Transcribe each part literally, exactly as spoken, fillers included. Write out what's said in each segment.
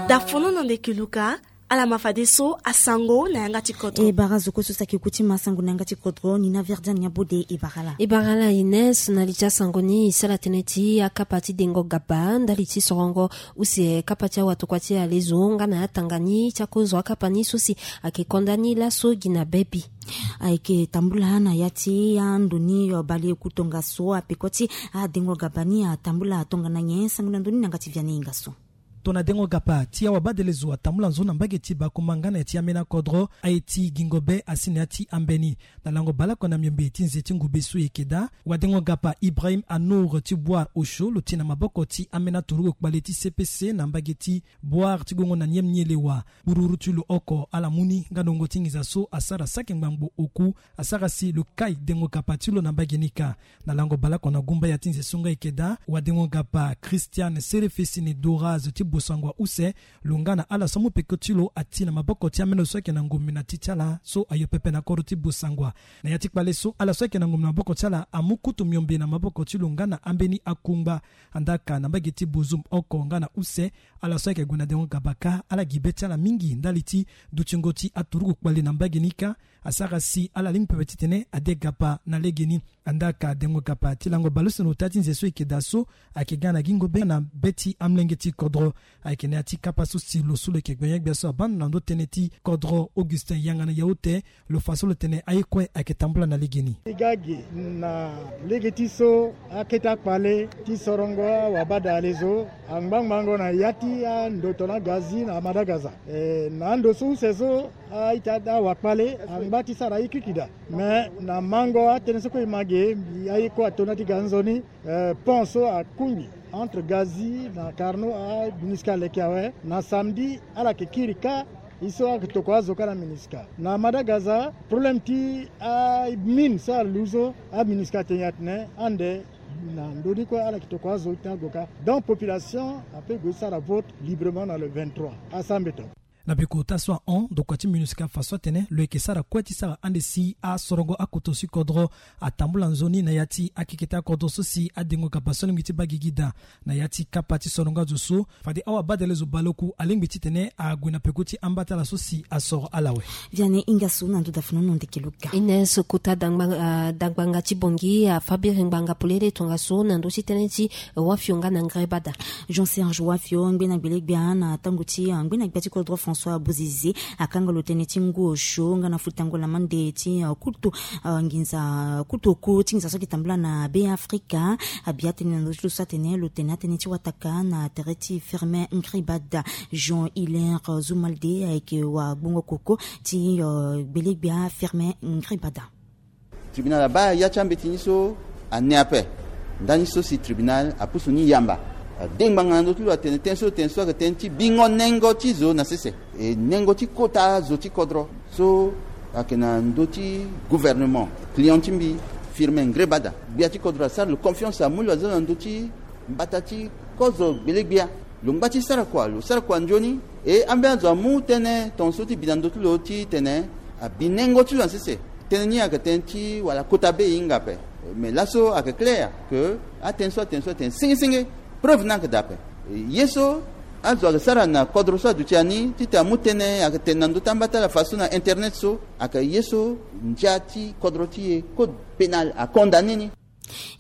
Dafono na ndeke luka. Ala ma fadeso asango na yanga ti kodro. E bara zo kue so saki kuti masango na yanga ti kodro ni na verdian ya bode e bara la. E bara la ines na li ti asango ni e sara tënë ti akapa ti dengo gaba ndali ti sorongo use kapa ti awatokua ti alezo nga na atanga ni ti akozo akapa ni so si ayeke konda ni laso gi na bebi. Ayeke tambula na ya ti ando ni baleoku tongaso apeko ti adengo gaba ni atambula tongana nyen sango na ndo ni na yanga ti viane ingaso. Tongana dengo gaba ti awabadelezo atambula nzoni na mbage ti bakumba nga na ya ti ambeni akodro aye ti gingo be asi na ya ti ambeni. Na lango baleoko na miombe ti nze ti ngube so e yeke daa wadengo gaba ibrahim anour ti boire osho lo ti na maboko ti ambeni aturugu kpale ti cpc na mbage ti boire ti gongo na niem ni elewa. Bururu ti lo oko ala mu ni nga na wungo ti nginza so asara saki ngbangbo oku asara si lo kai dengo gaba ti lo na mbage ni kâ. Na lango baleoko na gumba ya ti nze so nga e yeke daa wadengo gaba christian serefesini doraze ti bosangwa use lo nga na ala so amu peko ti lo ati na maboko ti ameni lo so ayeke na ngombe na ti ti ala so ayo pepe na kodro ti bosangwa. Na ya ti kpale so ala so ayeke na ngombe na maboko ti ala amu kutu miombe na maboko ti lo nga na ambeni akungba. Andaa ka na mbage ti bozum oko nga na use ala so ayeke gue na dengo gaba kâ ala gi be ti ala mingi ndali ti dutingo ti aturugu kpale na mbage ni kâ. Asara si ala lingbi pepe titene ade gaba na legeni. Andaa ka dengo gaba ti lango baleuse na ota ti nze so e yeke daa so ayeke ga na gingo be na be ti amolenge ti kodro. Ayeke na ya ti kapa so si lo so lo yeke gbenye-gbia so abâ ndo na ndö tënë ti kodro augustin yanga na yaute. Lo fa so lo tene aye kue ayeke tambula na legeni. E ga ge na lege ti so akete akpale ti sorongo awabadale zo angbangbango na ya ti ando tongana gazi na madagaza. Na ando so use so a-ita awakpale angba ti sara aye kiki daa. Me na mango atënë so kue e ma ge mbi aye kue ato na ti ga nzoni. Pont so akungbi entre gazi na carno a minusca aleke awe na samedi ala yeke kiri kâ. E so ayeke tokua azo kâ na minusca na madagaza problème ti amine so alu so aminusca atene atene ande na ndö ni kue ala yeke tokua azo ti ago kâ. Donc population ape gue ti sara vote librement na le vingt-trois asambe to. Na beko ota so ahon ndokua ti minusca fa so atene lo yeke sara kue ti sara ande si asorongo akoto si kodro atambula nzoni na ya ti akeke ti akodro so si adengo gaba so alingbi ti baa gigi daa. Na ya ti kapa ti sorongo azo so fade awabadale zo baleoku alingbi titene ague na peko ti amba ti ala so si asoro ala awe. Viane hinga so na ndo dafunu no ndeke luka. Ines kota dangbanga ti bongi afa biri ngbanga polele tongaso na ndö ti tënë ti wafio nga na ngrebada. Jean serge wafio ngbena gbele-gbia na tango ti ngbena gbia ti kodro françois bozizi akanga lo tënë ti ngu osio nga na futango lamande ti kutu nginza kutu oku ti nginza so ayeke tambula na be afrika. Abi atënë na ndö ti lo so atene lo tene atënë ti wataka na tere ti firmin ngribada. Jean hilaire zumalde ayeke wagbongo koko ti gbele-gbia firmin ngribada. Tribunal abaa ya ti ambeti ni so ane ape. Ndani so si tribunal apusu ni yamba ade ngbanga na ndö ti lo atene tënë so tënë so ayeke tënë ti bingo nengo ti zo na sese e nengo ti kota zo ti kodro so ayeke na ndö ti gouvernement client ti mbi firmin ngribada gbia ti kodro asara lo confiance amu lo aza na ndö ti mbata ti kozo gbele-gbia. Lo ngba ti sara kua lo sara kua nzoni e ambeni azo amu tënë tongaso ti bi na ndö ti lo titene abi nengo ti lo na sese. Tënë ni ayeke tënë ti wala kota be e hinga ape. Mais laso ayeke claire ke atënë so atënë so atene sengesenge preuve ni ayeke daa ape. Ye so azo ayeke sara na kodro so aduti ani titene amu tënë ayeke tene na ndö ti amba ti ala fa so na internet so ayeke ye so ndia ti kodro ti e code pénal acondamné ni.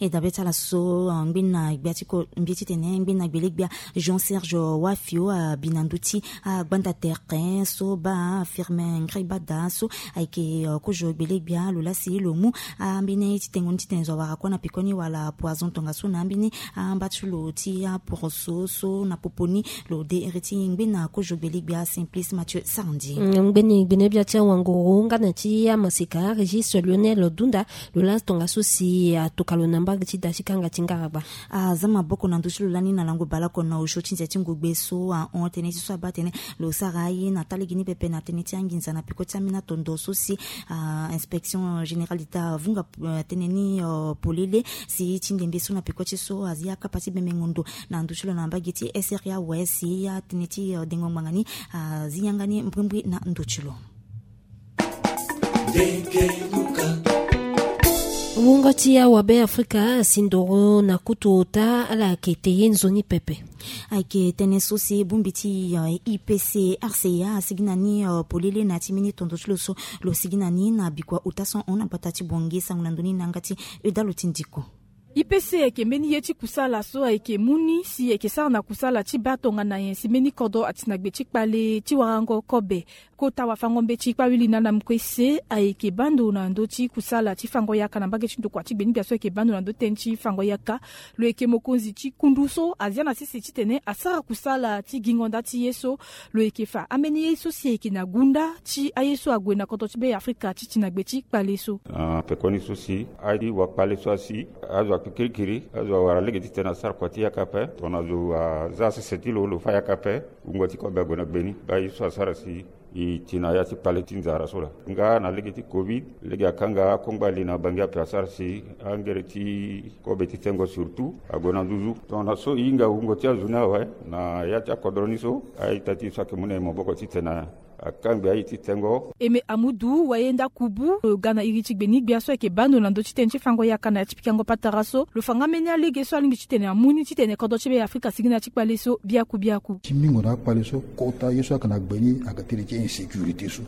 E dabe ti ala so ngbeni na gbia ti ko mbi titene ngbeni na gbele-gbia jean serge wafio abi na ndö ti agbanda tere so baa firmin ngribada so ayeke kozo gbele-gbia lo lasi lo mu ambeni ti tengo ni titene zo awara kue na pekoni wala poison tongaso na ambeni amba ti lo ti aporoso so na popo ni. Lo de iri ti ngbeni na kozo gbele-gbia simplice mathieu sarandi. Ngbeni gbene-gbia ti awanguru nga na ti amaseka régis lionel dunda lo laa tongaso si atoka lo na mbage ti da ti kanga ti ngaragba. Aza maboko na ndö ti lo lani na lango baleoko na osio ti nze ti ngogbe so ahon tënë ti so abaa tënë lo sara aye na taa lege ni pepe na tënë ti anginza na peko ti ambeni atondo so si inspection générale d'etat avunga tënë ni polele si ti ndembe so na peko ti so azi akapa ti bembengo ndo na ndö ti lo na mbage ti sra wes si atënë ti dengo ngbanga ni azi yanga ni mbrimbri na ndö ti lo. Wungo ti awabe afrika asi ndoro na kutu ota ala yeke te ye nzoni pepe. Ayeke tënë so si bongbi ti I P C R C A asigi na ni polele na ya ti mbeni tondo ti lo so lo sigi na ni na bikua ota so hon na bata ti bongi sango na ndoni na yanga ti eda lo ti ndiko. I P C ayeke mbeni ye ti kusala so ayeke mu ni si ayeke sara na kusala ti baa tongana nyen si mbeni kodro ati na gbe ti kpale ti warango kobe. Kota wafango-mbeti kpawili na ala mukue se ayeke baa ndo na ndö ti kusala ti fango yaka na mbage ti ndokua ti gbe ni gbia so ayeke baa ndo na ndö ti tënë ti fango yaka. Lo yeke mokonzi ti kundu so azia na sese titene asara kusala ti gingo nda ti ye so lo yeke fa ambeni ye so si ayeke na gunda ti aye so ague na kodro ti be afrika ti ti na gbe ti kpale so. Na pekoni so si aye ti wakpale so asi azo akpe kirikiri azo awara lege titene asara kua ti yaka ape tongana zo aza sese ti lo lo fa yaka ape. Wungo ti kobe ague na gbe ni baa ye so asara si i ti na ya ti kpale ti nzara so laa nga na lege ti covid lege akanga akongba li na bangi ape asara si angere ti kobe ti tengo surtout ague na nduzu tongana so i hinga wungo ti azo ni awe. Na ya ti akodro ni so a-ita ti e so ayeke mu na e maboko titene akangbi aye ti tengo. Eme amudu wayenda kubu lo ga na iri ti gbe ni gbia so ayeke baa ndo na ndö ti tënë ti fango yaka na ya ti pikango patara so lo fa nga mbeni alege so alingbi titene amu ni titene kodro ti be afrika sigi na ya ti kpale so biaku biaku. Ti mingo na akpale so kota ye so ayeke na gbe ni ayeke tënë ti insécurité so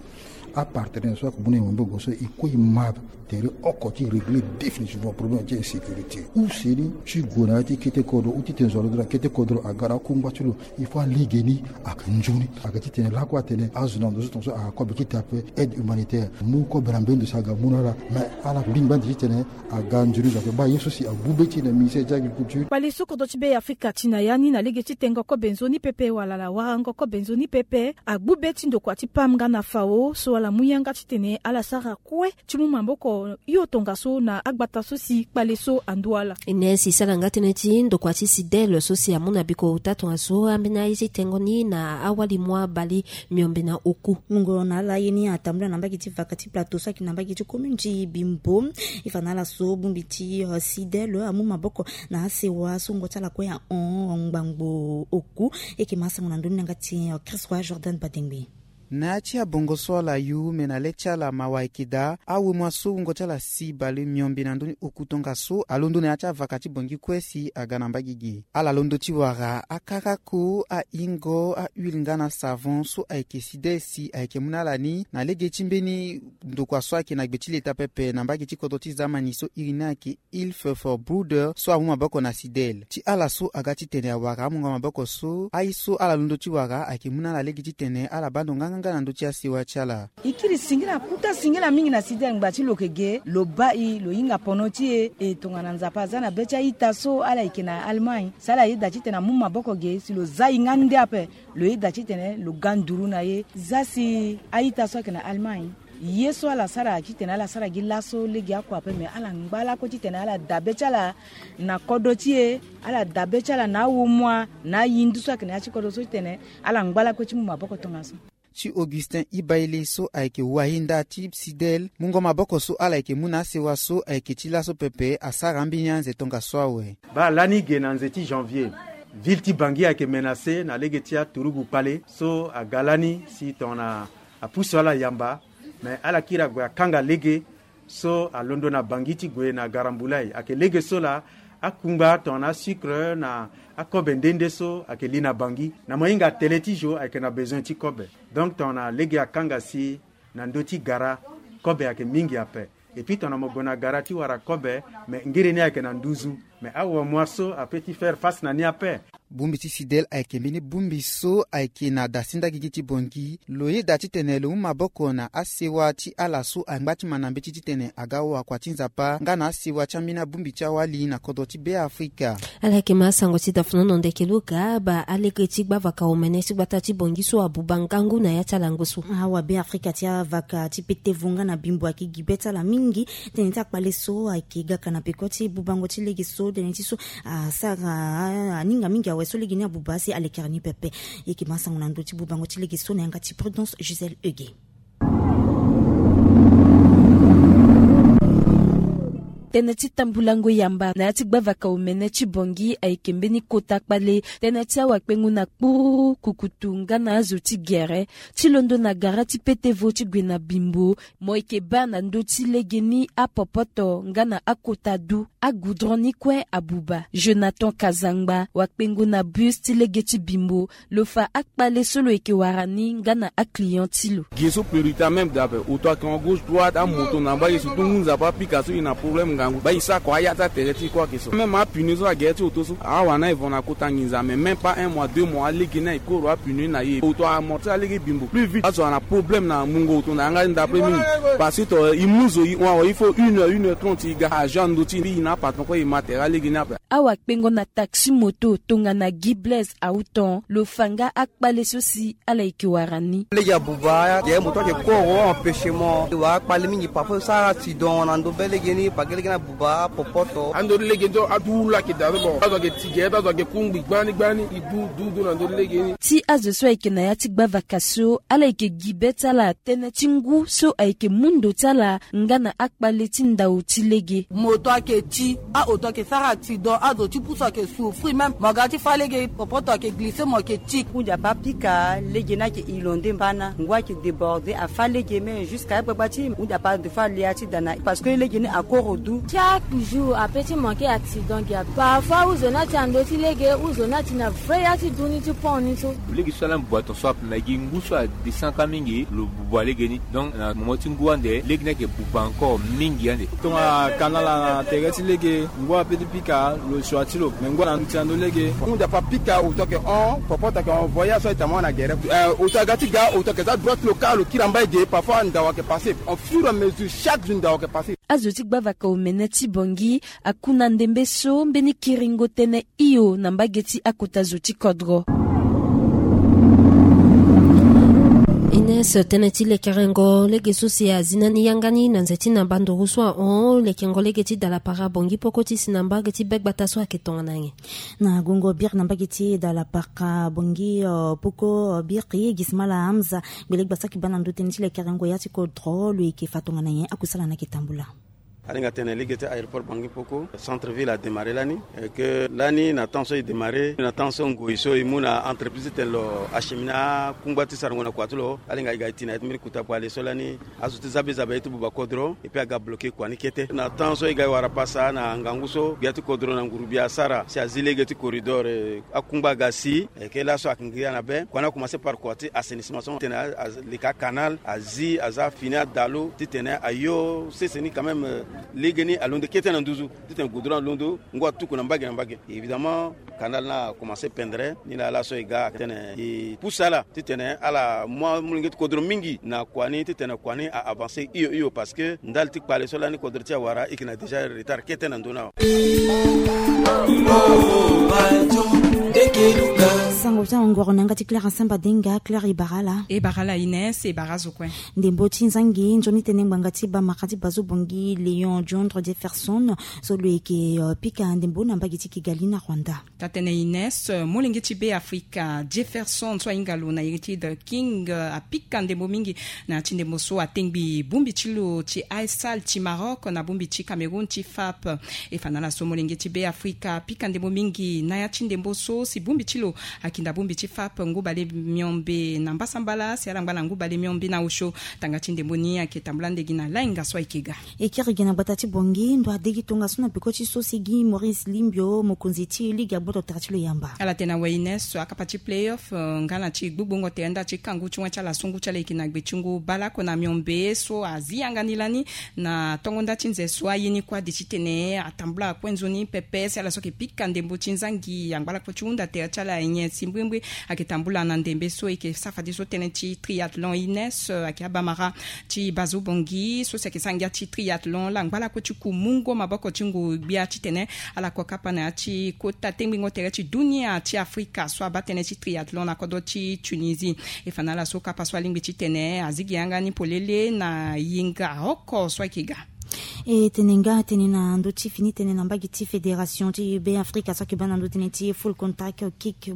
apartenaire so ayeke mu na e maboko so e kue e ma tere oko ti régler définitivement problème ti insécurité use ni ti gue na ya ti kete kodro ou titene zo alondo na kete kodro aga na akungba ti lo. Il faut alege ni ayeke nzoni ayeke titene lakue atene azo na ndo so tongaso aga kobe ti te ape aide humanitaire mu kobe na mbeni ndo si aga mu na ala. Mais ala lingbi ande titene aga nzoni zo ape baa ye so si agbu be ti e na ministère ti agriculture. Kpale so kodro ti be afrika ti na ya ni na lege ti tengo kobe nzoni pepe wala ala warango kobe nzoni pepe agbu be ti ndokua ti pam nga na fao so ala mu yanga titene ala sara kue ti mu maboko hio tongaso na agbata so si kpale so andu ala. E ne si sara nga tënë ti ndokua ti sidel so si amu na biko ota tongaso ambeni aye ti tengo ni na awali mua bale miombe na oku. Mungo na ala ye ni atambula na mbage ti vaka ti plateau so ayeke na mbage ti commune ti bimbo. E fa na ala so bongbi ti sidel amu maboko na asewa so wungo ti ala kue ahon ngbangbo oku. E yeke ma asango na ndoni na yanga ti chris roi jordan badengbe. Na ya ti abongo so ala yu me na le ti ala mawa ayeke daa awemua so wungo ti ala si bale miombe na ndoni oku tongaso alondo na ya ti avaka ti bongi kue si aga na mbage ge ala londo ti wara akarako ahingo ahuile nga na savon so ayeke sidel si ayeke mu na ala ni na lege ti mbeni ndokua so ayeke na gbe ti leta pepe na mbage ti kodro ti zamani so iri ni ayeke ilfe for bruder so amu maboko na sidel ti ala so aga titene awara amungo maboko so aye so ala londo ti wara ayeke mu na ala lege titene ala baa ndo nganganga na ndö ti asewa ti ala. E kiri singila kuta singila mingi na sidel ngba ti lo yeke ge lo baa e lo hinga pono ti e e tongana nzapa aza na be ti a-ita so ala yeke na allemagne si ala yeda titene amu maboko ge si lo za e nga nde ape. Lo yeda titene lo ga nduru na ye za si a-ita so ayeke na allemagne ye so ala sara titene ala sara gi laso lege akua ape me ala ngba lakue titene ala dabe ti ala na kodro ti e ala dabe ti ala na awomua na ayindu so ayeke na ya ti kodro so titene ala ngba lakue ti mu maboko tongaso. Ti augustin ibaile so ayeke wayenda ti sidel mungo maboko so ala yeke mu na asewa so ayeke ti laso pepe asara ambeni anze tongaso awe. Baa lani ge na nze ti janvier ville ti bangi ayeke menace na lege ti aturugu kpale so aga lani si tongana apusu ala yamba me ala kiri ague akanga lege so alondo na bangi ti gue na garambulai ayeke lege so laa akungba tongana asucre na akobe nde nde so ayeke li na bangi na mo hinga tele ti zo ayeke na besoin ti kobe. Donc tongana lege akanga si na ndö ti gara kobe ayeke mingi ape. Epui tongana mo gue na gara ti wara kobe me ngiri ni ayeke na nduzu me awamua so ape ti faire face na ni ape. Bongbi ti sidel ayeke mbeni bongbi so ayeke na dasinda gigi ti bongi lo yeda titene lo mu maboko na asewa ti ala so angba ti ma na mbeti titene aga wakua ti nzapa nga na asewa ti ambeni abongbi ti awali na kodro ti be afrika. Ala yeke ma asango ti dafuna nondo eke lo ga baa alege ti gbavaka omene ti gbata ti bongi so abuba ngangu na ya ti alango so. Awabe afrika ti avaka ti pete vonga na bimbo ayeke gi be ti ala mingi. Tënë ti akpale so ayeke gaka na peko ti bubango ti lege so tënë ti so asara aninga mingi awe so lege ni abuba asi alekere ni pepe. E yeke ma asango na ndö ti bubango ti lege so na yanga ti prudence gisèle euge. Tënë ti tambulango yamba na ya ti gbavaka omene ti Bangui ayeke mbeni kota kpale. Tënë ti awakpengo na kpuru, kukutu nga na azo ti gere ti londo na gara ti petevo ti gue na Bimbo. Mo yeke baa na ndö ti legeni apopoto nga na akota du. Agoudron ni kue abuba. Jonathan Kazangba, wakpengo na bus ti lege ti Bimbo, lo fa akpale so lo yeke wara ni nga na aclient ti lo. Ge so priorité même daa ape, oto ayeke en gauche droite, amoto na mbage, surtout ngu nzapa apika so e na problème ngangu, baa e sara kua aya ti atere ti e kue ayeke so. Même apneu so na gere ti oto so, awara na e vent na kota nginza, mais même pas un mois, deux mois, alege ni aye koro apneu ni na e. Oto amortir alege Bimbo plus vite. Azo ana problème na mungo oto na yanga ti ndapre mingi. Parce que to e mu zo e hon awe, il faut une heure, une heure trente e ga. Agent ando ti e na apatron kue e ma tere alege ni ape. Awakpengo na taxi moto tongana Guy Blaise Autan, lo fa nga akpale so si ala yeke wara ni. Lege abuba, ye moto ayeke koro empêchement. E wara akpale mingi, parfois e sara accident na ndo be lege ni, parce que lege ni abuba apopoto. Ando ti lege ni so adu ula ayeke daa so, bon, azo ayeke ti gere ti azo ayeke kungbi gbani gbani, e du du du na ndo ti lege ni. Ti azo so ayeke na ya ti gbavaka so, ala yeke gi be ti ala tënë ti ngu so ayeke mu ndo ti ala nga na akpale ti ndau ti lege. Moto ayeke ti, aoto ayeke sara accident, azo ti pusu ayeke souffrir même. Mo ga ti fâ lege, popoto ayeke glisser, mo yeke ti. Hunzi ape apika, lege ni ayeke inondé mbana, ngu ayeke déborder, afâ lege, mais jusqu'à agbagba ti hunzi ape adefa alia ti da na, parce que lege ni akoro du. Chaque jour ape ti manquer accident gi ape. Parfois huzo ni ati na ndö ti lege, huzo ni ati na vrai ya ti du ni ti pont ni so. Lege so ala mbi bua ton so ape, mais gi ngu so adescend kâ mingi, lo buba lege ni. Donc na moment ti ngu ande, lege ni ayeke buba encore mingi ande. Tongana canal na tere ti lege, ngu ape ti pika, lo sua ti lo. Mais ngu ana nduti na ndö lege. Hunzi ape apika, oto ayeke hon, popoto ayeke envoyer so ayeke tamara na gere. Eh, oto aga ti ga, oto ayeke za droite, lo kâ, lo kiri na mbage, parfois ndau ayeke passer. Au fur et à mesure, chaque jour ndau ayeke passer. Azo ti gbavaka omene ti Bangui akuna ndembe so mbeni kiringo tënë hio na mbage ti akota zo ti kodro. Ines, tënë ti lekerengo lege so si azi na ni yanga ni na nze ti na banduru so ahon lekengo lege ti dalapara Bangui poko ti si na mbage ti be gbata so ayeke tongana nyen? Na gongo biri na mbage ti dalapara Bangui, eh, poko, eh, biri Gismala Hamza, gbele gbasaki baa na ndö tënë ti lekerengo ya ti kodro, lo yeke fa tongana nyen? Akusala na yeke tambula. Alinga tene lege ti aéroport Bangui poko, centre ville adémarrer lani, et que lani na temps so e démarrer, na temps so ngoi so e mu na entreprise ti tene lo acheminer akungba ti sarango na kua ti lo, alinga e ga e ti na ya ti mbeni kota kpale so lani, azo ti za be za be ti buba kodro, et puis aga bloquer kua ni kete. Na temps so e ga e wara pasa na ngangu so, gbia ti kodro na nguru-gbia asara si azi lege ti corridor, eh, akungba aga si, et que laso ayeke ngiri na be, kua ni akomanse par kua ti assainissement so tene a, a, leka canal, azi, aza fini adalu ti tene ayo sese ni quand même, eh, lege ni alondo kete na nduzu, ti tene goudron alondo, ngu atuku na mbage na mbage. Évidemment, canal ni akomanse pendere, ni laa laso e ga tene e pusa ala ti tene ala mu amolenge ti kodro mingi na kua ni ti tene kua ni a avancer hio hio, parce que ndali ti kpale so lani kodro ti e awara e yeke na déjà retard kete na ndö ni awe. Sango ti ahongoro na yanga ti Claire Asamba Denga. Claire, e bara ala? E bara ala Ines, e bara azo kue. Ndembo ti nzangi nzoni tene ngbanga ti bamara ti Bazo Bangui Léon Diondre Jefferson so lo yeke, eh, pika ndembo na mbage ti Kigali na Rwanda. Taa-tënë Ines, eh, molenge ti Be Afrika Jefferson so ahinga lo na iri ti The King, eh, apika ndembo mingi na ya ti ndembo so atengbi bongbi ti lo ti Aysal ti Maroc na bongbi ti Cameroun ti FAP. E fa na ala so molenge ti Be Afrika apika ndembo mingi na ya ti ndembo so si bongbi ti lo akinda bongbi ti FAP ngu bale miombe na mbasambala si ala ngba na ngu bale miombe na osio. Tanga ti ndembo ni ayeke tambula nde gi na lainga so ayeke ga. E kiri gi na gbata ti Bangui, ndo adegi tongaso na peko ti so si gi Maurice Limbio, mokonzi ti ligue, agboto tere ti lo yamba. Ala tene awe Ines, akapa ti playoff, eh, nga na ti gbugbongo tere nda ti kangu ti wen ti ala so ngu ti ala yeke na gbe ti ngu bale oko na miombe so azi yanga ni lani na tongo nda ti nze so aye ni kue ade titene atambula kue nzoni pepe si ala so yeke pika ndembo ti nzangi angba lakue ti hunda tere ti ala nyen si mbrimbri. Ayeke tambula na ndembe so e yeke sara fadeso tënë ti triathlon Ines, eh, ayeke abamara ti Bazo Bangui so si ayeke sara ngia ti triathlon laa angba lakue ti ku mungo maboko ti ngu gbia titene ala ko kapa na ya ti kota tengbingo tere ti dunia ti Afrika so abaa tënë ti triathlon na kodro ti Tunisie. E fa na ala so kapa so alingbi titene azi gi yanga ni polele na yenga oko so ayeke ga. E tene nga tene na ndö ti fini tene na mbage ti fédération ti Beafrika so ayeke baa na ndö tënë ti full contact kick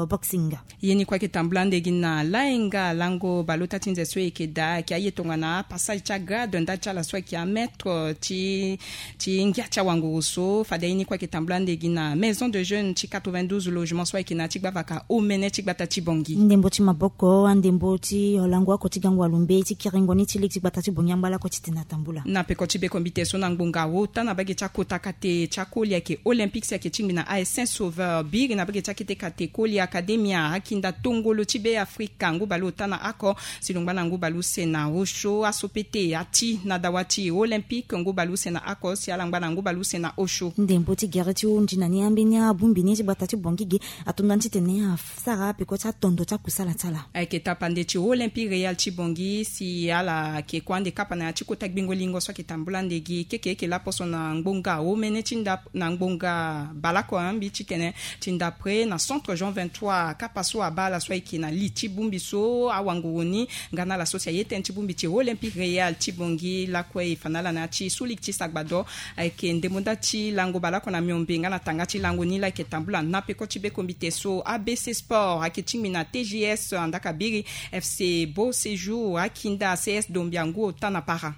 boxing. Ye ni kue ayeke tambula ande gi na laenga lango baleota ti nze so e yeke daa ayeke aye tongana apassage ti agrade ndali ti ala so ayeke amaître ti ti ngia ti awanguru so fade aye ni kue ayeke tambula ande gi na maison de jeune ti quatre-vingt-douze logement so ayeke na ya ti gbavaka omene ti gbata ti Bangui. Ndembo ti maboko andembo ti olango oko ti gango alumbe ti kiringo ni ti lege ti gbata ti Bangui angba lakue ti tene atambula. Na peko ti bekombite so na ngbonga ota na bage ti akota kate ti akoli ayeke Olympique si ayeke tingbi na A S Saint Sauveur biri na bage ti akete kate koli Academia akinda tongolo ti Beafrika ngu baleota na oko si lo ngba na ngu baleuse na osio aso pete ati na dawa ti Olympique ngu baleuse na oko si ala ngba na ngu baleuse na osio. Ndembo ti gere ti hundi na ni ambeni abongbi ni ti gbata ti Bangui ge ato ndani titene asara peko ti atondo ti akusala ti ala. Ayeke tapande ti Olympique Réal ti Bangui si ala yeke kue ande kapa na ya ti kota gbingo lingo so ayeke tambula ande gi keke eke laposo na ngbonga omene ti nda na ngbonga baleoko ambi titene ti ndapre na centre Jean vingt-trois kapa so abaa ala so ayeke na li ti bongbi so awanguru ni nga na ala so si aye tënë ti bongbi ti Olympique Réal ti Bangui lakue e fa na ala na ya ti suliki ti sagbado. Ayeke ndembo nda ti lango baleoko na miombe nga na tanga ti lango ni la ayeke tambula na peko ti bekombite so. A B C Sport ayeke tingbi na T G S andaka biri F C Beau Séjour akinda C S Dombia ngu ota na para.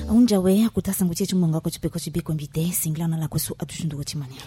Ahunzi awe akota sango ti e ti ngbonga oko ti peko ti bekombite singila na ala kue so aduti nduru ti mania.